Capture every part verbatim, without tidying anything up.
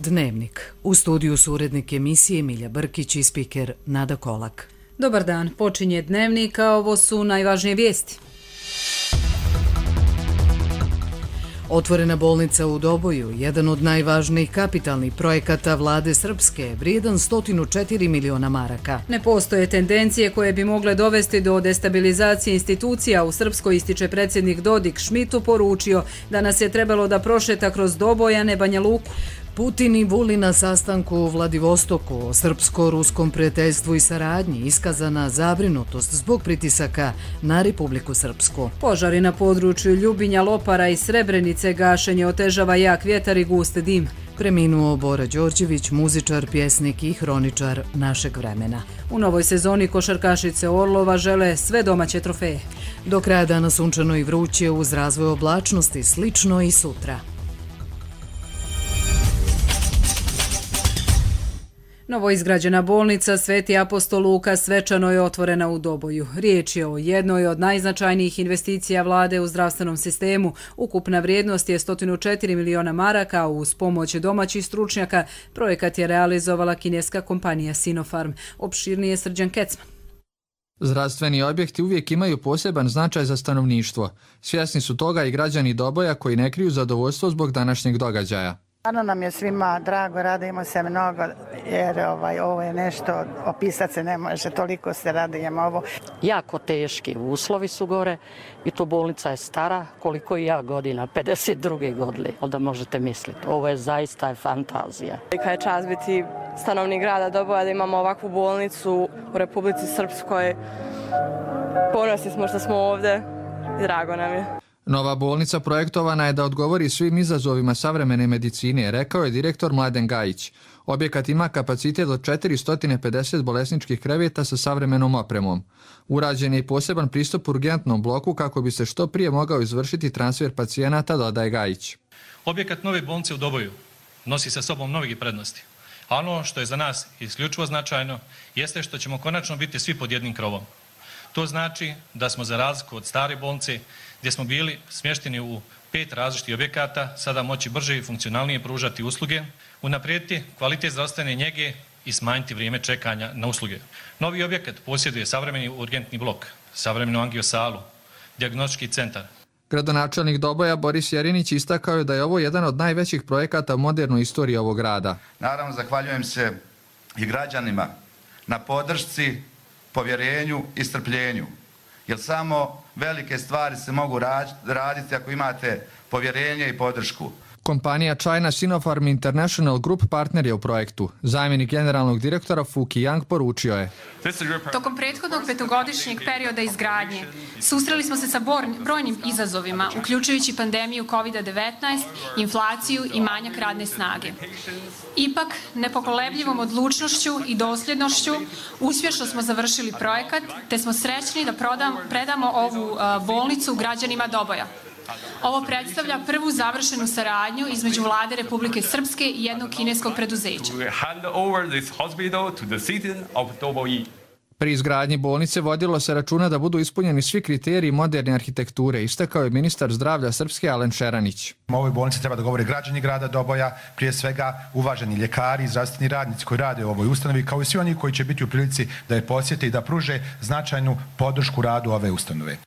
Dnevnik. U studiju su urednik emisije Milja Brkić i spiker Nada Kolak. Dobar dan, počinje Dnevnik, a ovo su najvažnije vijesti. Otvorena bolnica u Doboju, jedan od najvažnijih kapitalnih projekata vlade Srpske, vrijedan sto četiri miliona maraka. Ne postoje tendencije koje bi mogle dovesti do destabilizacije institucija. U Srpskoj, ističe predsjednik Dodik, Šmitu poručio da nas je trebalo da prošeta kroz Doboj, a ne Banja Luku. Putin i Vulin na sastanku u Vladivostoku o srpsko-ruskom prijateljstvu i saradnji, iskazana zabrinutost zbog pritisaka na Republiku Srpsku. Požari na području Ljubinja, Lopara i Srebrenice, gašenje otežava jak vjetar i gust dim. Preminuo Bora Đorđević, muzičar, pjesnik i hroničar našeg vremena. U novoj sezoni košarkašice Orlova žele sve domaće trofeje. Do kraja dana sunčano i vruće, uz razvoj oblačnosti, slično i sutra. Novoizgrađena bolnica Sveti apostol Luka svečano je otvorena u Doboju. Riječ je o jednoj od najznačajnijih investicija vlade u zdravstvenom sistemu. Ukupna vrijednost je sto četiri miliona maraka, a uz pomoć domaćih stručnjaka projekat je realizovala kineska kompanija Sinopharm. Opširnije Srđan Kecman. Zdravstveni objekti uvijek imaju poseban značaj za stanovništvo. Svjesni su toga i građani Doboja koji ne kriju zadovoljstvo zbog današnjeg događaja. Stvarno nam je svima drago, radimo se mnogo jer ovaj, ovo je nešto, opisati se ne može, toliko se radujemo ovo. Jako teški uslovi su gore i to bolnica je stara, koliko i ja godina, pedeset druge godine, onda možete misliti. Ovo je zaista fantazija. Kad je čast biti stanovnik grada Doboja, da imamo ovakvu bolnicu u Republici Srpskoj, ponosni smo što smo ovdje i drago nam je. Nova bolnica projektovana je da odgovori svim izazovima savremene medicine, rekao je direktor Mladen Gajić. Objekat ima kapacitet od četiristo pedeset bolesničkih kreveta sa savremenom opremom. Urađen je i poseban pristup urgentnom bloku kako bi se što prije mogao izvršiti transfer pacijenata, dodaje Gajić. Objekat nove bolnice u Doboju nosi sa sobom mnogi prednosti. A ono što je za nas isključivo značajno jeste što ćemo konačno biti svi pod jednim krovom. To znači da smo za razliku od stare bolnice, gdje smo bili smješteni u pet različitih objekata, sada moći brže i funkcionalnije pružati usluge, unaprijediti kvalitet zdravstvene njege i smanjiti vrijeme čekanja na usluge. Novi objekat posjeduje savremeni urgentni blok, savremenu angiosalu, dijagnostički centar. Gradonačelnik Doboja Boris Jerinić istakao je da je ovo jedan od najvećih projekata u modernoj istoriji ovog grada. Naravno, zahvaljujem se i građanima na podršci, povjerenju i strpljenju, jer samo velike stvari se mogu raditi ako imate povjerenje i podršku. Kompanija China Sinopharm International Group partner je u projektu. Zamjenik generalnog direktora Fuki Yang poručio je: Tokom prethodnog petogodišnjeg perioda izgradnje susreli smo se sa brojnim izazovima, uključujući pandemiju kovid devetnaest, inflaciju i manjak radne snage. Ipak, nepokolebljivom odlučnošću i dosljednošću uspješno smo završili projekat, te smo srećni da prodam, predamo ovu uh, bolnicu građanima Doboja. Ovo predstavlja prvu završenu saradnju između vlade Republike Srpske i jednog kineskog preduzeća. Pri izgradnji bolnice vodilo se računa da budu ispunjeni svi kriteriji moderne arhitekture, istakao je ministar zdravlja Srpske Alen Šeranić. O ovoj bolnici treba da govore građani grada Doboja, prije svega uvaženi ljekari i zdravstveni radnici koji rade u ovoj ustanovi, kao i svi oni koji će biti u prilici da je posjete i da pruže značajnu podršku radu ove ustanove.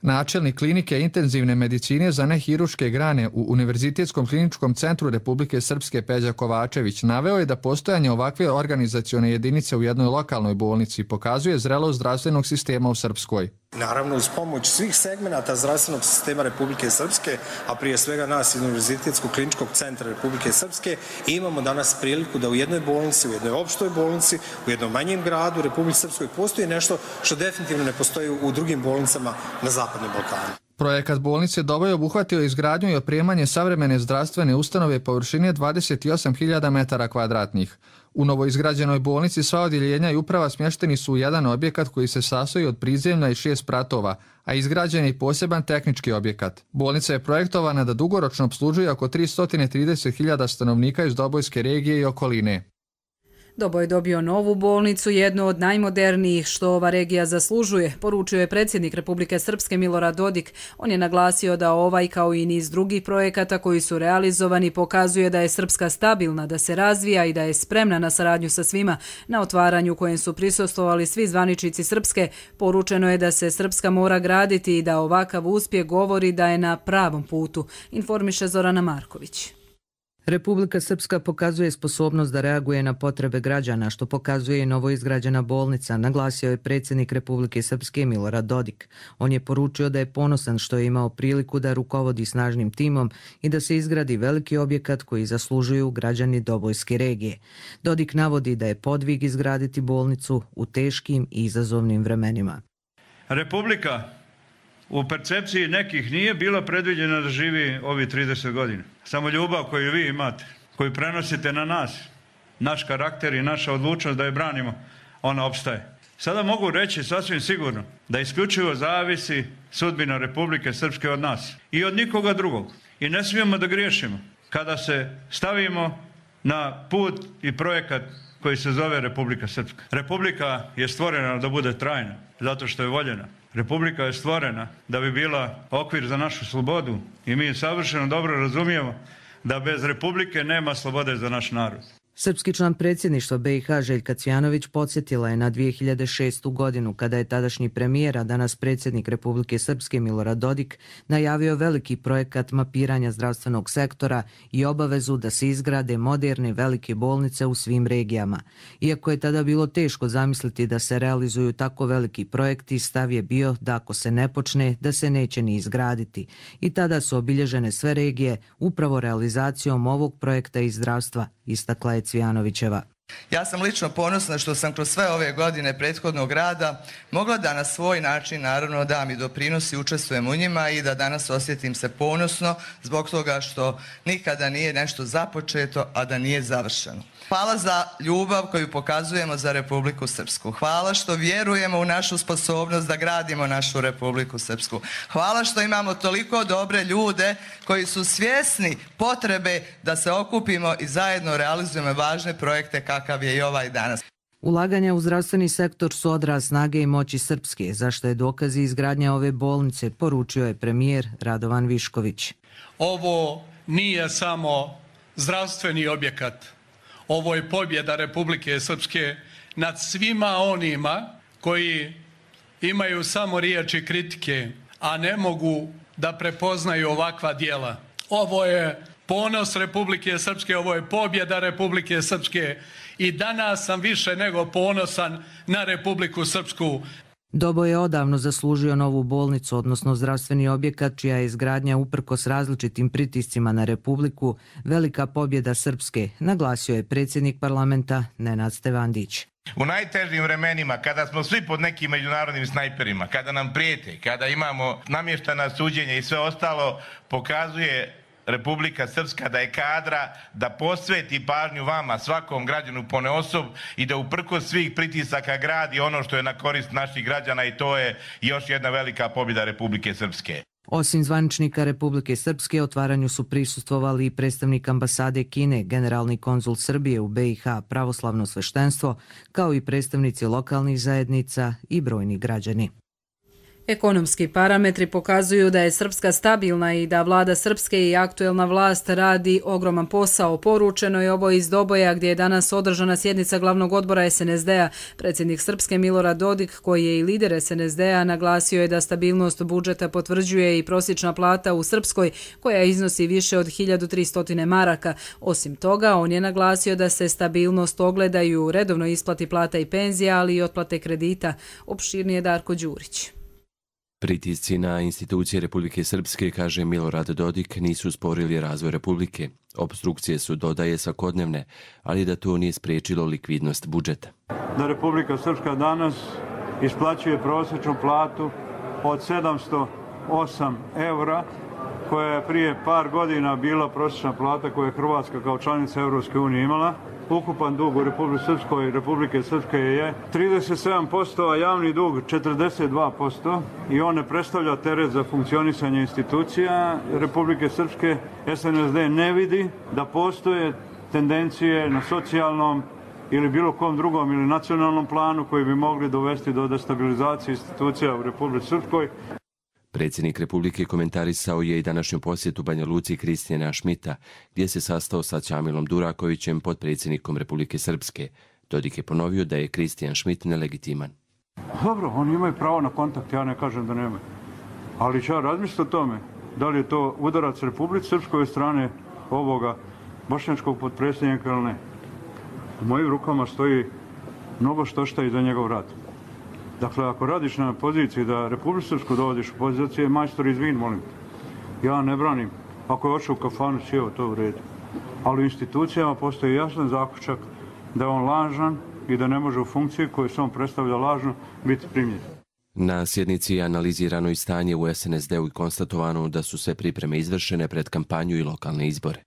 Načelnik klinike intenzivne medicine za nehiruške grane u Univerzitetskom kliničkom centru Republike Srpske Peđa Kovačević naveo je da postojanje ovakve organizacione jedinice u jednoj lokalnoj bolnici pokazuje zrelost zdravstvenog sistema u Srpskoj. Naravno, uz pomoć svih segmenata zdravstvenog sistema Republike Srpske, a prije svega nas iz Univerzitetskog kliničkog centra Republike Srpske, imamo danas priliku da u jednoj bolnici, u jednoj opštoj bolnici, u jednom manjem gradu Republike Srpskoj postoji nešto što definitivno ne postoji u drugim bolnicama na Zapadnom Balkanu. Projekat bolnice Doboj obuhvatio izgradnju i opremanje savremene zdravstvene ustanove površine dvadeset osam hiljada metara kvadratnih. U novoizgrađenoj bolnici sva odjeljenja i uprava smješteni su u jedan objekat koji se sastoji od prizemlja i šest pratova, a izgrađen je i poseban tehnički objekat. Bolnica je projektovana da dugoročno opslužuje oko tristo trideset hiljada stanovnika iz Dobojske regije i okoline. Doboj je dobio novu bolnicu, jednu od najmodernijih što ova regija zaslužuje, poručio je predsjednik Republike Srpske Milorad Dodik. On je naglasio da ovaj kao i niz drugih projekata koji su realizovani pokazuje da je Srpska stabilna, da se razvija i da je spremna na saradnju sa svima. Na otvaranju kojem su prisustvovali svi zvaničnici Srpske, poručeno je da se Srpska mora graditi i da ovakav uspjeh govori da je na pravom putu, informiše Zorana Marković. Republika Srpska pokazuje sposobnost da reaguje na potrebe građana, što pokazuje i novoizgrađena bolnica, naglasio je predsjednik Republike Srpske Milorad Dodik. On je poručio da je ponosan što je imao priliku da rukovodi snažnim timom i da se izgradi veliki objekat koji zaslužuju građani Dobojske regije. Dodik navodi da je podvig izgraditi bolnicu u teškim i izazovnim vremenima. Republika u percepciji nekih nije bila predviđena da živi ovi trideset godina. Samo ljubav koju vi imate, koju prenosite na nas, naš karakter i naša odlučnost da je branimo, ona opstaje. Sada mogu reći sasvim sigurno da isključivo zavisi sudbina Republike Srpske od nas i od nikoga drugog. I ne smijemo da griješimo kada se stavimo na put i projekat koji se zove Republika Srpska. Republika je stvorena da bude trajna, zato što je voljena. Republika je stvorena da bi bila okvir za našu slobodu i mi savršeno dobro razumijemo da bez Republike nema slobode za naš narod. Srpski član predsjedništva B i H Željka Cvjanović podsjetila je na dvije hiljade šestu godinu kada je tadašnji premijer, a danas predsjednik Republike Srpske Milorad Dodik, najavio veliki projekat mapiranja zdravstvenog sektora i obavezu da se izgrade moderne velike bolnice u svim regijama. Iako je tada bilo teško zamisliti da se realizuju tako veliki projekti, stav je bio da ako se ne počne, da se neće ni izgraditi. I tada su obilježene sve regije upravo realizacijom ovog projekta iz zdravstva, istakla je Cvjanovićeva. Ja sam lično ponosna što sam kroz sve ove godine prethodnog rada mogla da na svoj način naravno dam i doprinos i učestvujem u njima i da danas osjetim se ponosno zbog toga što nikada nije nešto započeto, a da nije završeno. Hvala za ljubav koju pokazujemo za Republiku Srpsku. Hvala što vjerujemo u našu sposobnost da gradimo našu Republiku Srpsku. Hvala što imamo toliko dobre ljude koji su svjesni potrebe da se okupimo i zajedno realizujemo važne projekte kakav je i ovaj danas. Ulaganja u zdravstveni sektor su odraz snage i moći Srpske, zašto je dokaz i izgradnja ove bolnice, poručio je premijer Radovan Višković. Ovo nije samo zdravstveni objekat. Ovo je pobjeda Republike Srpske nad svima onima koji imaju samo riječi kritike, a ne mogu da prepoznaju ovakva djela. Ovo je ponos Republike Srpske, ovo je pobjeda Republike Srpske i danas sam više nego ponosan na Republiku Srpsku. Doboj je odavno zaslužio novu bolnicu, odnosno zdravstveni objekat, čija je izgradnja uprkos različitim pritiscima na Republiku velika pobjeda Srpske, naglasio je predsjednik parlamenta Nenad Stevandić. U najtežim vremenima, kada smo svi pod nekim međunarodnim snajperima, kada nam prijete, kada imamo namještana suđenja i sve ostalo, pokazuje Republika Srpska da je kadra da posveti pažnju vama, svakom građanu ponaosob i da uprkos svih pritisaka gradi ono što je na korist naših građana i to je još jedna velika pobjeda Republike Srpske. Osim zvaničnika Republike Srpske, otvaranju su prisustvovali i predstavnik ambasade Kine, generalni konzul Srbije u B i H, pravoslavno sveštenstvo, kao i predstavnici lokalnih zajednica i brojni građani. Ekonomski parametri pokazuju da je Srpska stabilna i da vlada Srpske i aktuelna vlast radi ogroman posao. Poručeno je ovo iz Doboja gdje je danas održana sjednica glavnog odbora S N S D-a. Predsjednik Srpske Milorad Dodik, koji je i lider S N S D-a, naglasio je da stabilnost budžeta potvrđuje i prosječna plata u Srpskoj, koja iznosi više od hiljadu tristo maraka. Osim toga, on je naglasio da se stabilnost ogleda i u redovnoj isplati plata i penzija, ali i otplate kredita. Opširnije Darko Đurić. Pritisci na institucije Republike Srpske, kaže Milorad Dodik, nisu sporili razvoj Republike. Opstrukcije su, dodaje, svakodnevne, ali da to nije spriječilo likvidnost budžeta. Da Republika Srpska danas isplaćuje prosječnu platu od sedamsto osam eura, koja je prije par godina bila prosječna plata koju je Hrvatska kao članica Europske unije imala. Ukupan dug u Republike Srpskoj Republike Srpske je trideset sedam posto, a javni dug četrdeset dva posto i on ne predstavlja teret za funkcionisanje institucija Republike Srpske. S N S D ne vidi da postoje tendencije na socijalnom ili bilo kom drugom ili nacionalnom planu koji bi mogli dovesti do destabilizacije institucija u Republici Srpskoj. Predsjednik Republike komentarisao je i današnju posjetu Banja Luci Kristijana Šmita, gdje se sastao sa Ćamilom Durakovićem, potpredsjednikom Republike Srpske. Dodik je ponovio da je Kristijan Šmit nelegitiman. Dobro, oni imaju pravo na kontakt, ja ne kažem da nemaju. Ali ću ja razmisliti o tome, da li je to udarac Republike Srpskoj strane ovoga bošnjačkog potpredsjednika ili ne. U mojim rukama stoji mnogo što šta i za njegov rad. Dakle, ako radiš na poziciji da Republiku Srpsku dovodiš u pozicije, majstor izvin, molim. Ja ne branim. Ako je očeo u kafanu, sjeo, to u redu. Ali u institucijama postoji jasan zaključak da je on lažan i da ne može u funkciji koju se on predstavlja lažno biti primljen. Na sjednici je analizirano i stanje u S N S D-u i konstatovano da su sve pripreme izvršene pred kampanju i lokalne izbore.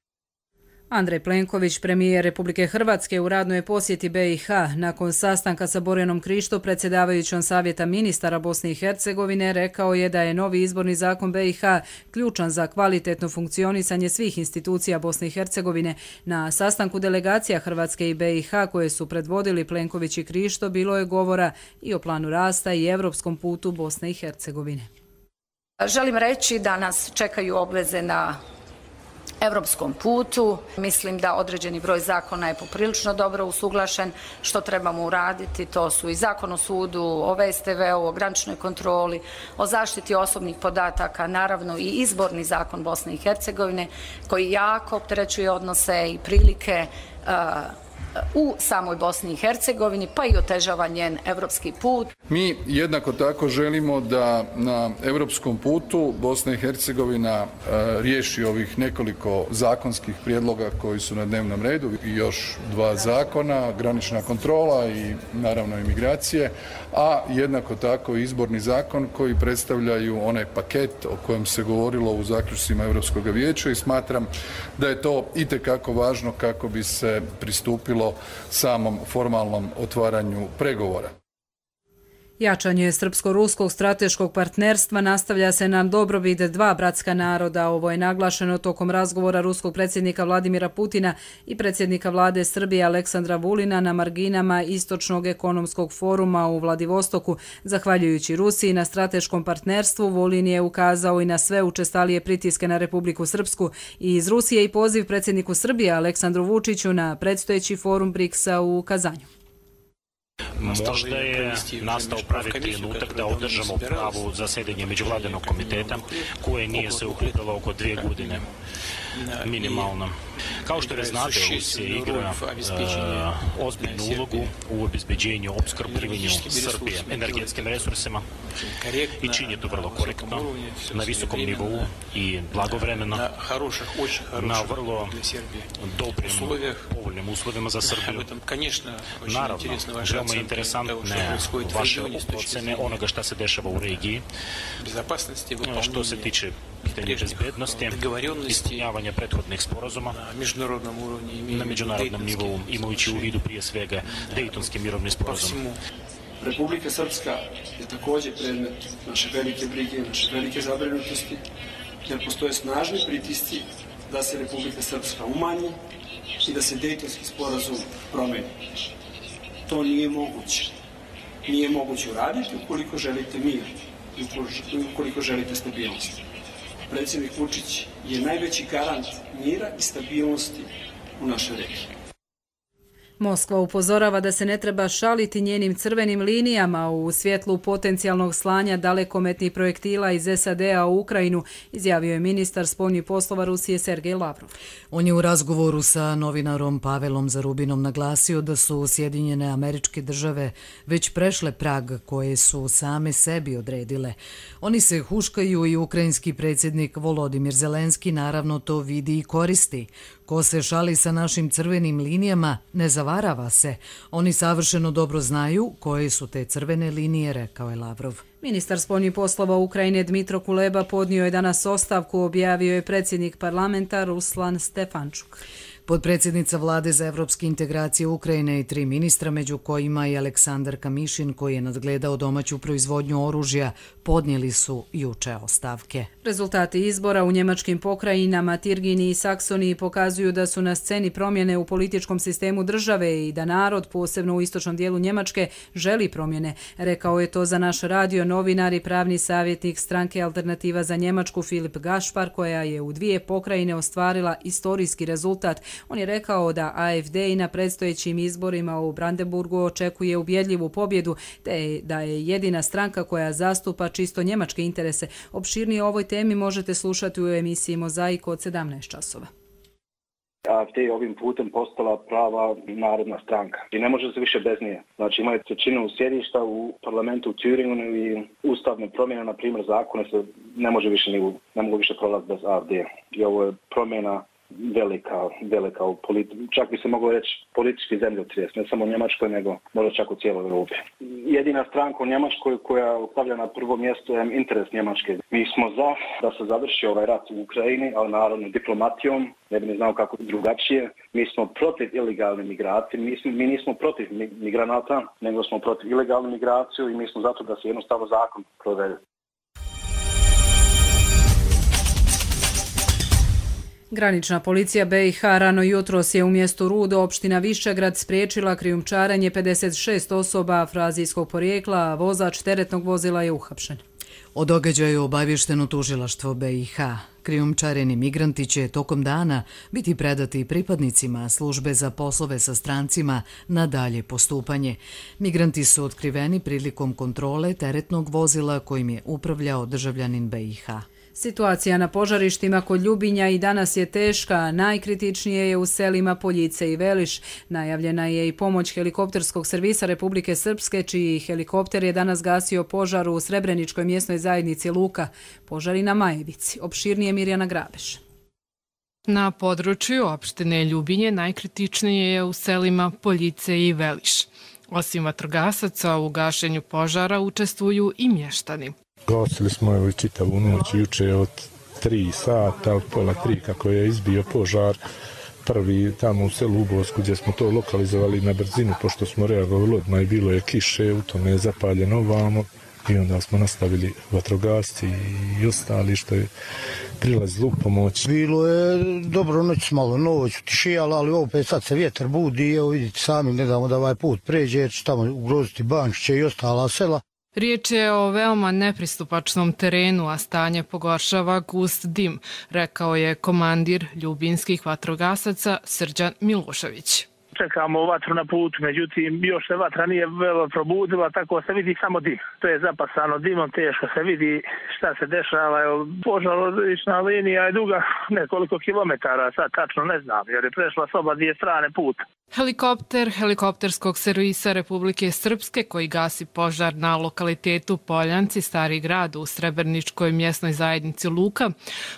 Andrej Plenković, premijer Republike Hrvatske, u radnoj posjeti B i H nakon sastanka sa Borjanom Krišto, predsjedavajućom Savjeta ministara Bosne i Hercegovine, rekao je da je novi izborni zakon B i H ključan za kvalitetno funkcionisanje svih institucija Bosne i Hercegovine. Na sastanku delegacija Hrvatske i B i H koje su predvodili Plenković i Krišto bilo je govora i o planu rasta i evropskom putu Bosne i Hercegovine. Želim reći da nas čekaju obveze na evropskom putu. Mislim da određeni broj zakona je poprilično dobro usuglašen. Što trebamo uraditi, to su i zakon o sudu, o V S T V-u, o graničnoj kontroli, o zaštiti osobnih podataka, naravno i izborni zakon Bosne i Hercegovine koji jako opterećuje odnose i prilike u samoj Bosni i Hercegovini, pa i otežava njen evropski put. Mi jednako tako želimo da na evropskom putu Bosna i Hercegovina riješi ovih nekoliko zakonskih prijedloga koji su na dnevnom redu i još dva zakona, granična kontrola i naravno imigracije, a jednako tako izborni zakon koji predstavljaju onaj paket o kojem se govorilo u zaključcima Europskog vijeća i smatram da je to itekako važno kako bi se pristupilo samom formalnom otvaranju pregovora. Jačanje srpsko-ruskog strateškog partnerstva nastavlja se na dobrobit dva bratska naroda. Ovo je naglašeno tokom razgovora ruskog predsjednika Vladimira Putina i predsjednika vlade Srbije Aleksandra Vulina na marginama Istočnog ekonomskog foruma u Vladivostoku. Zahvaljujući Rusiji na strateškom partnerstvu, Vulin je ukazao i na sve učestalije pritiske na Republiku Srpsku i iz Rusije i poziv predsjedniku Srbije Aleksandru Vučiću na predstojeći forum briksa u Kazanju. Možda je nastao pravi trenutak da održamo pravo zasedanje međuvladinog komiteta koje nije se uključilo oko dvije godine minimalno. Kao što znate, Rusija igra uh, ozbiljnu ulogu u obezbeđenju, opskrbljivanju Srbije energetskim resursima i čini to vrlo korektno, na visokom nivou i blagovremeno, na vrlo dobrim, povoljnim uslovima za Srbiju. Naravno, veoma interesantne vaše ocene onoga šta se dešava u regiji, što se tiče pitanja bezbednosti, ispunjavanja prethodnih sporazuma na međunarodnom nivou, imajući u vidu prije svega Dejtonski mirovni sporazum. Republika Srpska je također predmet naše velike brige, naše velike zabrinutosti, jer postoje snažni pritisci da se Republika Srpska umanji i da se Dejtonski sporazum promeni. To nije moguće. Nije moguće uraditi ukoliko želite mir i ukoliko želite stabilnost. Predsjednik Vučić je najveći garant mira i stabilnosti u našoj regiji. Moskva upozorava da se ne treba šaliti njenim crvenim linijama u svjetlu potencijalnog slanja dalekometnih projektila iz S A D-a u Ukrajinu, izjavio je ministar spoljnih poslova Rusije Sergej Lavrov. On je u razgovoru sa novinarom Pavelom Zarubinom naglasio da su Sjedinjene Američke Države već prešle prag koje su same sebi odredile. Oni se huškaju i ukrajinski predsjednik Volodimir Zelenski naravno to vidi i koristi. Ko se šali sa našim crvenim linijama, ne zavarava se. Oni savršeno dobro znaju koje su te crvene linije, rekao je Lavrov. Ministar spoljnih poslova Ukrajine Dmitro Kuleba podnio je danas ostavku, objavio je predsjednik parlamenta Ruslan Stefančuk. Potpredsjednica vlade za evropske integracije Ukrajine i tri ministra, među kojima i Aleksandar Kamišin, koji je nadgledao domaću proizvodnju oružja, podnijeli su juče ostavke. Rezultati izbora u njemačkim pokrajinama Tirgini i Saksoniji pokazuju da su na sceni promjene u političkom sistemu države i da narod, posebno u istočnom dijelu Njemačke, želi promjene. Rekao je to za naš radio novinar i pravni savjetnik stranke Alternativa za Njemačku Filip Gašpar, koja je u dvije pokrajine ostvarila istorijski rezultat. On je rekao da A F D i na predstojećim izborima u Brandenburgu očekuje ubjedljivu pobjedu, te da je jedina stranka koja zastupa čisto njemačke interese. Opširnije o ovoj temi možete slušati u emisiji Mozaik od sedamnaest časova. A F D je ovim putem postala prava narodna stranka i ne može se više bez nje. Znači imaju trećinu sjedišta u parlamentu u Thüringenu i ustavne promjene, na primjer zakone se ne može više ni ne mogu više prolaziti bez A F D. I ovo je promjena velika, velika u politi- čak bi se moglo reći politički zemljotres, ne samo u Njemačkoj, nego možda čak u cijeloj Europi. Jedina stranka u Njemačkoj koja stavlja na prvo mjesto je interes Njemačke. Mi smo za da se završi ovaj rat u Ukrajini, ali naravno diplomatijom, ne bi ne znao kako drugačije. Mi smo protiv ilegalne migracije, mi, smo, mi nismo protiv migranata, nego smo protiv ilegalne migracije i mi smo zato da se jednostavno zakon provede. Granična policija B i H rano jutros je u mjestu Rudo, opština Višegrad, spriječila krijumčarenje pedeset šest osoba afrazijskog porijekla, a vozač teretnog vozila je uhapšen. O događaju obavješteno tužilaštvo B i H. Krijumčareni migranti će tokom dana biti predati pripadnicima službe za poslove sa strancima na dalje postupanje. Migranti su otkriveni prilikom kontrole teretnog vozila kojim je upravljao državljanin B i H. Situacija na požarištima kod Ljubinja i danas je teška, najkritičnije je u selima Poljice i Veliš. Najavljena je i pomoć helikopterskog servisa Republike Srpske, čiji helikopter je danas gasio požar u Srebreničkoj mjesnoj zajednici Luka. Požari na Majevici. Opširnije Mirjana Grabeš. Na području opštine Ljubinje najkritičnije je u selima Poljice i Veliš. Osim vatrogasaca u gašenju požara učestvuju i mještani. Gasili smo evo i čitavu noć, juče od tri sata, od pola tri kako je izbio požar. Prvi tamo u selu Ubosku gdje smo to lokalizovali na brzinu, pošto smo reagovali odmah i bilo je kiše, u tome je zapaljeno ovamo i onda smo nastavili vatrogasci i ostali što je prilazilo u pomoć. Bilo je dobro noć, malo noć utišijala, ali opet sad se vjetar budi i evo vidite sami, ne damo da ovaj put pređe jer će tamo ugroziti Bančiće i ostala sela. Riječ je o veoma nepristupačnom terenu, a stanje pogoršava gust dim, rekao je komandir ljubinskih vatrogasaca Srđan Milošević. Čekamo vatru na putu, međutim još se vatra nije velo probudila, tako se vidi samo dim. To je zapasano dimom, teško se vidi šta se dešava. Požarna linija je duga nekoliko kilometara, sad tačno ne znam, jer je prešla s oba dvije strane puta. Helikopter helikopterskog servisa Republike Srpske koji gasi požar na lokalitetu Poljanci, Stari grad u Srebrničkoj mjesnoj zajednici Luka,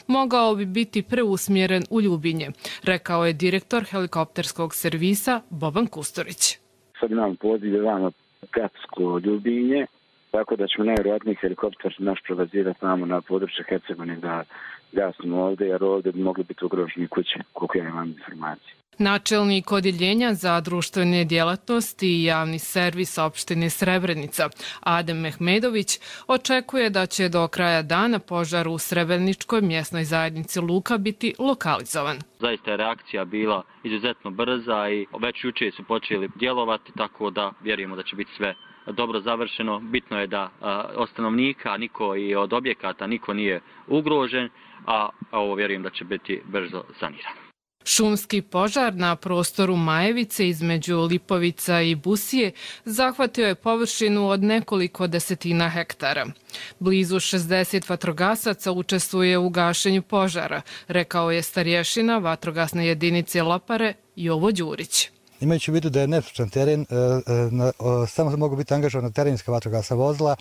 mogao bi biti preusmjeren u Ljubinje, rekao je direktor helikopterskog servisa Boban Kusturić. Sad imamo poziv vama Gatsko Ljubinje, tako da ćemo najvjerojatniji helikopter naš prebazirati tamo na područje Hercegovine da gasimo ovdje, jer ovdje bi mogli biti ugroženi kuće, koliko ja imam informacije. Načelnik odjeljenja za društvene djelatnosti i javni servis opštine Srebrenica, Adem Mehmedović, očekuje da će do kraja dana požar u Srebreničkoj mjesnoj zajednici Luka biti lokalizovan. Zaista je reakcija bila izuzetno brza i već juče su počeli djelovati, tako da vjerujemo da će biti sve dobro završeno. Bitno je da od stanovnika niko i od objekata niko nije ugrožen, a ovo vjerujem da će biti brzo sanirano. Šumski požar na prostoru Majevice između Lipovica i Busije zahvatio je površinu od nekoliko desetina hektara. Blizu šezdeset vatrogasaca učestvuje u gašenju požara, rekao je starješina vatrogasne jedinice Lopare Jovo Đurić. Imajući u vidu da je nestručan teren, samo mogu biti angažovana terenska vatrogasna vozila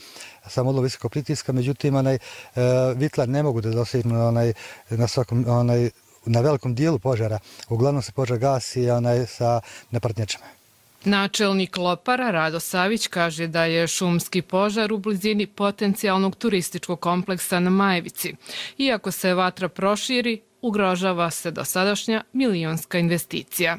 sa modulom visokog pritiska, međutim vitlar ne mogu da dosegnu na svakom na velikom dijelu požara. Uglavnom se požar gasi onaj sa nepartnjačama. Načelnik Lopara Rado Savić kaže da je šumski požar u blizini potencijalnog turističkog kompleksa na Majevici. Iako se vatra proširi, ugrožava se dosadašnja milionska investicija.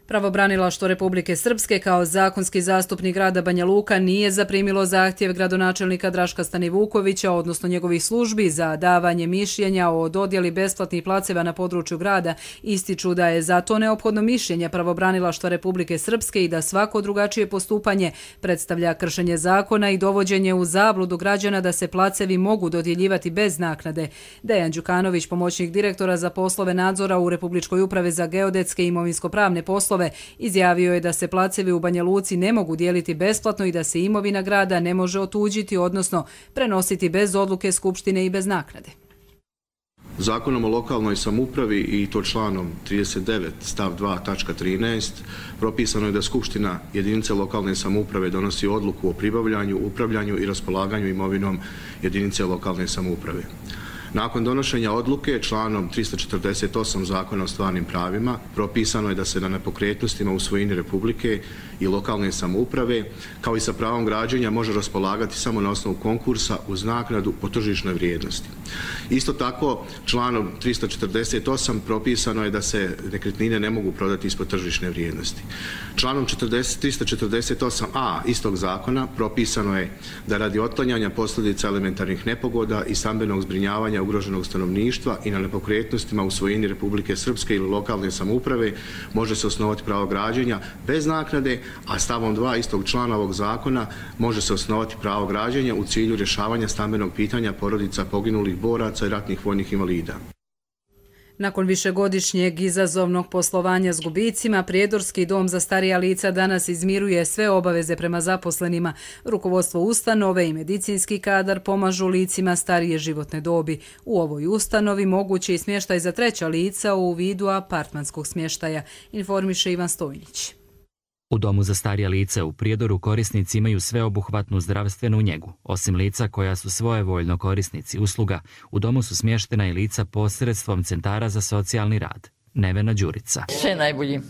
Pravobranilaštvo Republike Srpske kao zakonski zastupnik grada Banja Luka nije zaprimilo zahtjev gradonačelnika Draška Stanivukovića, odnosno njegovih službi, za davanje mišljenja o dodjeli besplatnih placeva na području grada. Ističu da je za to neophodno mišljenje Pravobranilaštva Republike Srpske i da svako drugačije postupanje predstavlja kršenje zakona i dovođenje u zabludu građana da se placevi mogu dodjeljivati bez naknade. Dejan Đukanović, pomoćnik direktora za poslove nadzora u Republičkoj upravi za geodetske i imovinsko-pravne poslove, izjavio je da se placevi u Banja Luci ne mogu dijeliti besplatno i da se imovina grada ne može otuđiti, odnosno prenositi bez odluke Skupštine i bez naknade. Zakonom o lokalnoj samoupravi i to članom trideset devet stav dva tačka trinaest propisano je da Skupština jedinice lokalne samouprave donosi odluku o pribavljanju, upravljanju i raspolaganju imovinom jedinice lokalne samouprave. Nakon donošenja odluke članom trista četrdeset osam Zakona o stvarnim pravima propisano je da se na nepokretnostima u svojini Republike i lokalne samouprave kao i sa pravom građenja može raspolagati samo na osnovu konkursa uz naknadu po tržišnoj vrijednosti. Isto tako članom trista četrdeset osam propisano je da se nekretnine ne mogu prodati ispod tržišne vrijednosti. Članom trista četrdeset osam a istog zakona propisano je da radi otklanjanja posljedica elementarnih nepogoda i stambenog zbrinjavanja ugroženog stanovništva i na nepokretnostima u svojini Republike Srpske ili lokalne samouprave može se osnovati pravo građenja bez naknade, a stavom dva istog člana ovog zakona može se osnovati pravo građenja u cilju rješavanja stambenog pitanja porodica poginulih boraca i ratnih vojnih invalida. Nakon višegodišnjeg izazovnog poslovanja s gubicima, Prijedorski dom za starija lica danas izmiruje sve obaveze prema zaposlenima. Rukovodstvo ustanove i medicinski kadar pomažu licima starije životne dobi. U ovoj ustanovi moguće i smještaj za treća lica u vidu apartmanskog smještaja, informiše Ivan Stojnić. U domu za starija lica u Prijedoru korisnici imaju sveobuhvatnu zdravstvenu njegu. Osim lica koja su svojevoljno korisnici usluga, u domu su smještena i lica posredstvom centara za socijalni rad. Nevena Đurica. Sve najbolje.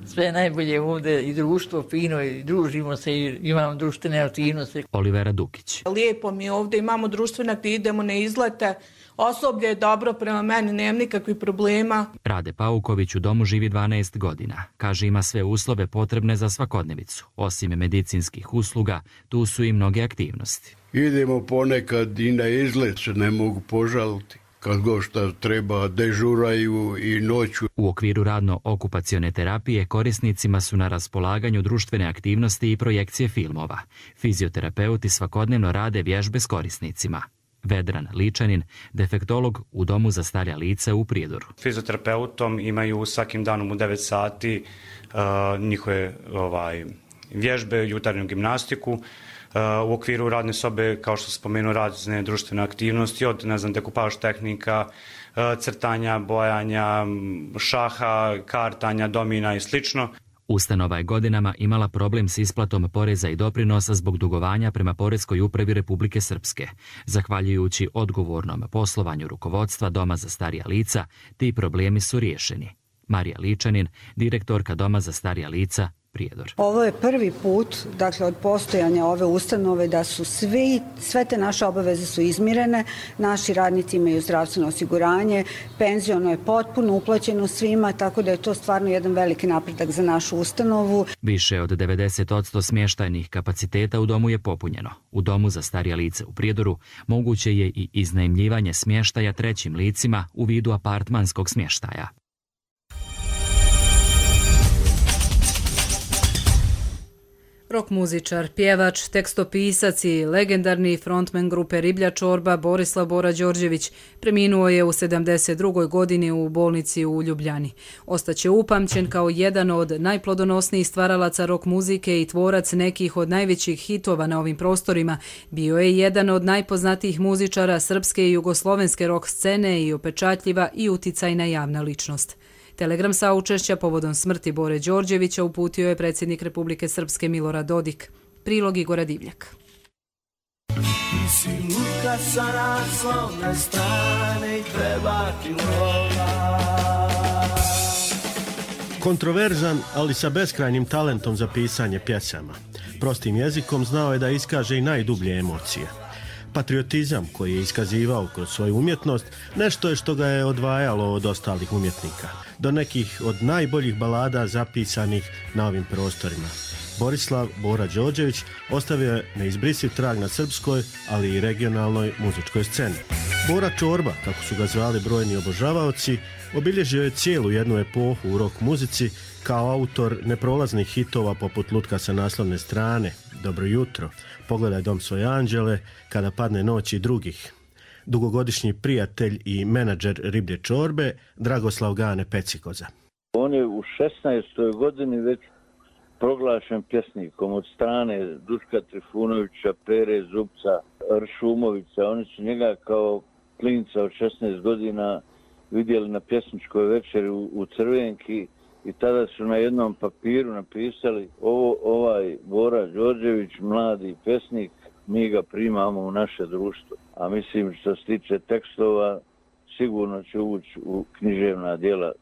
Sve najbolje ovdje i društvo fino i družimo se i imamo društvene aktivnosti. Olivera Dukić. Lijepo mi ovdje imamo društvene aktivnosti, idemo na izlete. Osoblje je dobro prema meni, nemam nikakvih problema. Rade Pauković u domu živi dvanaest godina. Kaže ima sve uslove potrebne za svakodnevicu. Osim medicinskih usluga, tu su i mnoge aktivnosti. Idemo ponekad i na izlet, se ne mogu požaliti. Kad go šta treba, dežuraju i noću. U okviru radno-okupacione terapije korisnicima su na raspolaganju društvene aktivnosti i projekcije filmova. Fizioterapeuti svakodnevno rade vježbe s korisnicima. Vedran Ličanin, defektolog u domu za starija lica u Prijedoru. Fizioterapeutom imaju svakim danom u devet sati uh, njihove ovaj, vježbe, jutarnju gimnastiku. Uh, u okviru radne sobe, kao što spomenu, razne društvene aktivnosti, od ne znam, dekupaž tehnika, uh, crtanja, bojanja, šaha, kartanja, domina i slično. Ustanova je godinama imala problem s isplatom poreza i doprinosa zbog dugovanja prema Poreskoj upravi Republike Srpske. Zahvaljujući odgovornom poslovanju rukovodstva Doma za starija lica, ti problemi su riješeni. Marija Ličanin, direktorka Doma za starija lica, Prijedor. Ovo je prvi put, dakle, od postojanja ove ustanove da su svi, sve te naše obaveze su izmirene, naši radnici imaju zdravstveno osiguranje, penziono je potpuno uplaćeno svima, tako da je to stvarno jedan veliki napredak za našu ustanovu. Više od devedeset posto smještajnih kapaciteta u domu je popunjeno. U domu za starija lica u Prijedoru moguće je i iznajmljivanje smještaja trećim licima u vidu apartmanskog smještaja. Rock muzičar, pjevač, tekstopisac i legendarni frontman grupe Riblja čorba Borislav Bora Đorđević preminuo je u sedamdeset drugoj godini u bolnici u Ljubljani. Ostaće upamćen kao jedan od najplodonosnijih stvaralaca rock muzike i tvorac nekih od najvećih hitova na ovim prostorima. Bio je jedan od najpoznatijih muzičara srpske i jugoslovenske rock scene i upečatljiva i uticajna javna ličnost. Telegram saučešća povodom smrti Bore Đorđevića uputio je predsjednik Republike Srpske Milorad Dodik. Prilog Igora Divljak. Kontroverzan, ali sa beskrajnim talentom za pisanje pjesama. Prostim jezikom znao je da iskaže i najdublje emocije. Patriotizam koji je iskazivao kroz svoju umjetnost nešto je što ga je odvajalo od ostalih umjetnika, do nekih od najboljih balada zapisanih na ovim prostorima. Borislav Bora Đorđević ostavio je neizbrisiv trag na srpskoj, ali i regionalnoj muzičkoj sceni. Bora Čorba, kako su ga zvali brojni obožavaoci, obilježio je cijelu jednu epohu u rock muzici kao autor neprolaznih hitova poput Lutka sa naslovne strane, Dobro jutro, Pogledaj dom svoje anđele, Kada padne noć i drugih. Dugogodišnji prijatelj i menadžer Riblje Čorbe, Dragoslav Gane Pecikoza. On je u šesnaestoj godini već proglašen pjesnikom od strane Duška Trifunovića, Pere Zubca, Ršumovića. Oni su njega kao klinca od šesnaest godina vidjeli na pjesničkoj večeri u, u Crvenki i tada su na jednom papiru napisali ovo, ovaj Bora Đorđević, mladi pjesnik, mi ga primamo u naše društvo. A mislim što se tiče tekstova, sigurno će ući u književna djela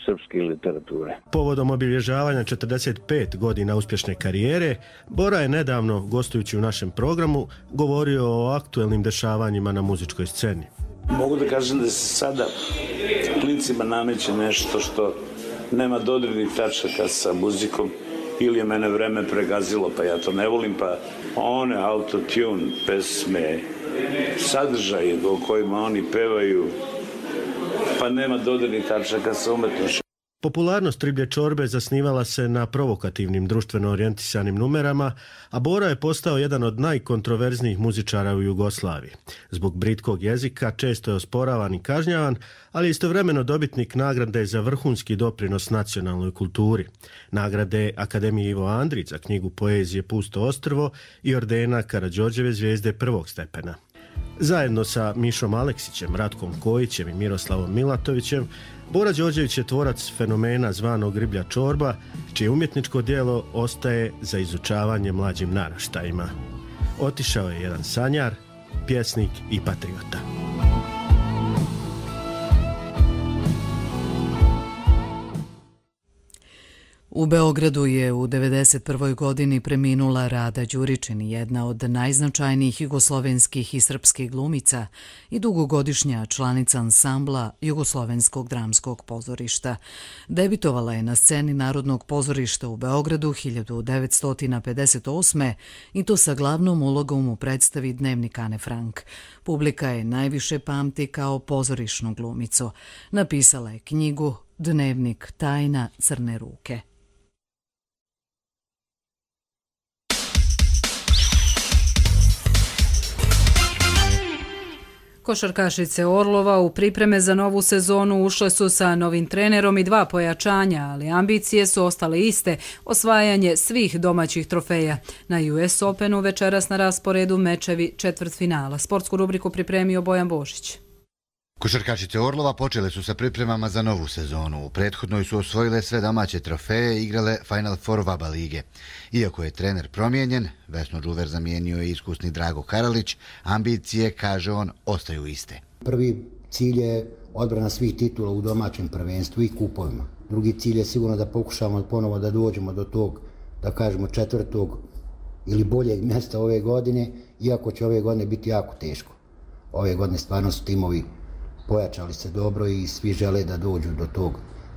srpske literature. Povodom obilježavanja četrdeset pet godina uspješne karijere, Bora je nedavno, gostujući u našem programu, govorio o aktuelnim dešavanjima na muzičkoj sceni. Mogu da kažem da se sada klincima nameće nešto što nema dodirnih tačaka sa muzikom, ili je mene vreme pregazilo pa ja to ne volim, pa one autotune pesme, sadržaje o kojima oni pevaju, pa nema dodirnih tačaka sa umetnošću. Popularnost Riblje Čorbe zasnivala se na provokativnim društveno orijentisanim numerama, a Bora je postao jedan od najkontroverznijih muzičara u Jugoslaviji. Zbog britkog jezika često je osporavan i kažnjavan, ali istovremeno dobitnik nagrade za vrhunski doprinos nacionalnoj kulturi. Nagrade Akademije Ivo Andrić za knjigu poezije Pusto ostrvo i ordena Karađorđeve zvijezde prvog stepena. Zajedno sa Mišom Aleksićem, Ratkom Kojićem i Miroslavom Milatovićem, Bora Đorđević je tvorac fenomena zvanog Riblja Čorba, čije umjetničko djelo ostaje za izučavanje mlađim naraštajima. Otišao je jedan sanjar, pjesnik i patriota. U Beogradu je u devedeset prvoj godini preminula Rada Đuričin, jedna od najznačajnijih jugoslovenskih i srpskih glumica i dugogodišnja članica ansambla Jugoslovenskog dramskog pozorišta. Debitovala je na sceni Narodnog pozorišta u Beogradu hiljadu devetsto pedeset osme i to sa glavnom ulogom u predstavi Dnevnik Ane Frank. Publika je najviše pamti kao pozorišnu glumicu. Napisala je knjigu Dnevnik tajna crne ruke. Košarkašice Orlova u pripreme za novu sezonu ušle su sa novim trenerom i dva pojačanja, ali ambicije su ostale iste, osvajanje svih domaćih trofeja. Na U S Openu večeras na rasporedu mečevi četvrtfinala. Sportsku rubriku pripremio Bojan Božić. Košarkašice Orlova počele su sa pripremama za novu sezonu. U prethodnoj su osvojile sve domaće trofeje i igrale Final Four VABA lige. Iako je trener promijenjen, Vesnu Đuver zamijenio je iskusni Drago Karalić, ambicije, kaže on, ostaju iste. Prvi cilj je odbrana svih titula u domaćem prvenstvu i kupovima. Drugi cilj je sigurno da pokušamo ponovo da dođemo do tog, da kažemo, četvrtog ili boljeg mjesta ove godine, iako će ove godine biti jako teško. Ove godine stvarno su timovi pojačali se dobro i svi žele da dođu do tog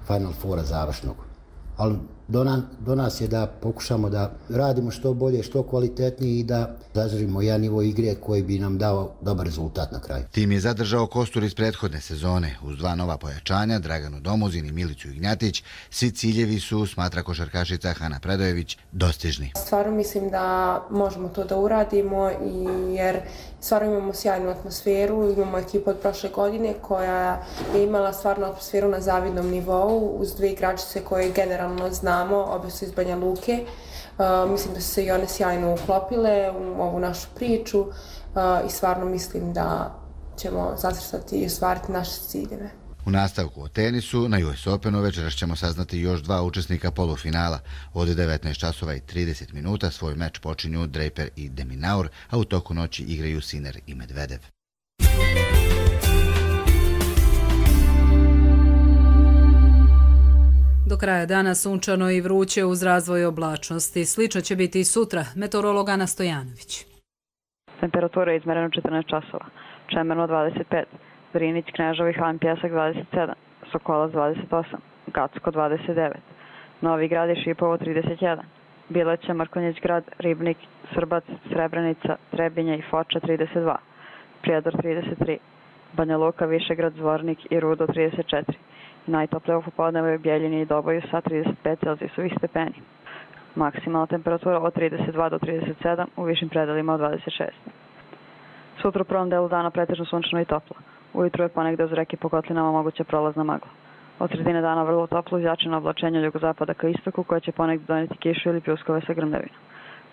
Final Fora završnog. Ali do, na, do nas je da pokušamo da radimo što bolje, što kvalitetnije i da zadržimo jedan nivo igre koji bi nam dao dobar rezultat na kraju. Tim je zadržao kostur iz prethodne sezone. Uz dva nova pojačanja, Draganu Domuzin i Milicu Ignjatić, svi ciljevi su, smatra košarkašica Hana Predojević, dostižni. Stvarno mislim da možemo to da uradimo i jer stvarno imamo sjajnu atmosferu, imamo ekipu od prošle godine koja je imala stvarno atmosferu na zavidnom nivou uz dvije igračice koje generalno znamo, obje su iz Banja Luke. Uh, mislim da su se i one sjajno uklopile u ovu našu priču uh, i stvarno mislim da ćemo zacrtati i ostvariti naše ciljeve. U nastavku o tenisu, na U S Openu večeras ćemo saznati još dva učesnika polufinala. Od devetnaest časova i trideset minuta svoj meč počinju Draper i De Minaur, a u toku noći igraju Sinner i Medvedev. Do kraja dana sunčano i vruće uz razvoj oblačnosti. Slično će biti i sutra. Meteorolog Ana Stojanović. Temperatura je izmerena u četrnaest časova. Čemerno dvadeset pet, Drinić, Kneževo, Halin Pjesak dvadeset sedam, Sokolac dvadeset osam, Gacko dvadeset devet, Novi Grad i Šipovo trideset jedan, Bileća, Mrkonjić Grad, Ribnik, Srbac, Srebrenica, Trebinje i Foča trideset dva, Prijedor trideset tri, Banja Luka, Višegrad, Zvornik i Rudo trideset četiri. Najtoplije u popodnevu je u Bjeljini i Doboju sa trideset pet Celzijusovih stepeni. Maksimalna temperatura od trideset dva do trideset sedam, u višim predelima od dvadeset šest. Sutra u prvom delu dana pretežno sunčano i toplo. Ujutru je ponegde uz reke po kotlinama moguća prolazna magla. Od sredine dana vrlo toplo izjačeno oblačenje od jugozapada ka istoku koje će ponegde doneti kišu ili pljuskove sa grmljavinom.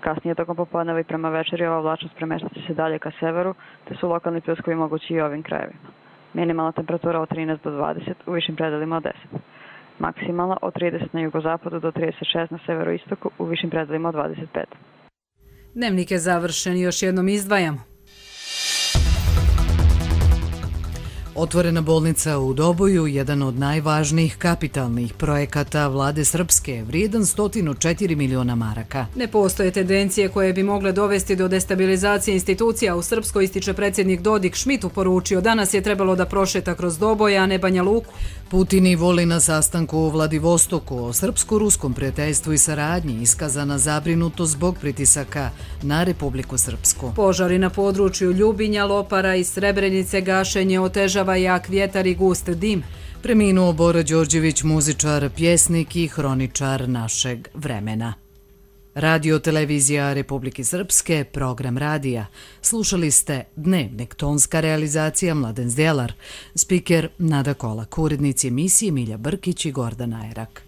Kasnije tokom popodneva i prema večeri ova oblačnost premeštat će se dalje ka severu, te su lokalni pljuskovi mogući i u ovim krajevima. Minimalna temperatura od trinaest do dvadeset, u višim predelima od deset. Maksimalna od trideset na jugozapadu do trideset šest na severoistoku, u višim predelima od dvadeset pet. Dnevnik je završen, još jednom izdvajamo. Otvorena bolnica u Doboju, jedan od najvažnijih kapitalnih projekata vlade Srpske, vrijedan sto četiri miliona maraka. Ne postoje tendencije koje bi mogle dovesti do destabilizacije institucija. U Srpskoj, ističe predsjednik Dodik, Šmitu poručio, danas je trebalo da prošeta kroz Doboj, a ne Banja Luku. Putin i voli na sastanku u Vladivostoku o srpsko-ruskom prijateljstvu i saradnji iskazana zabrinutost zbog pritisaka na Republiku Srpsku. Požari na području Ljubinja, Lopara i Srebrenice, gašenje otežava jak vjetar i gust dim. Preminuo Bora Đorđević, muzičar, pjesnik i hroničar našeg vremena. Radio televizija Republike Srpske, program radija. Slušali ste Dnevnik, tonska realizacija Mladen Zdjelar, spiker Nada Kolak, urednici emisije Milja Brkić i Gordana Erak.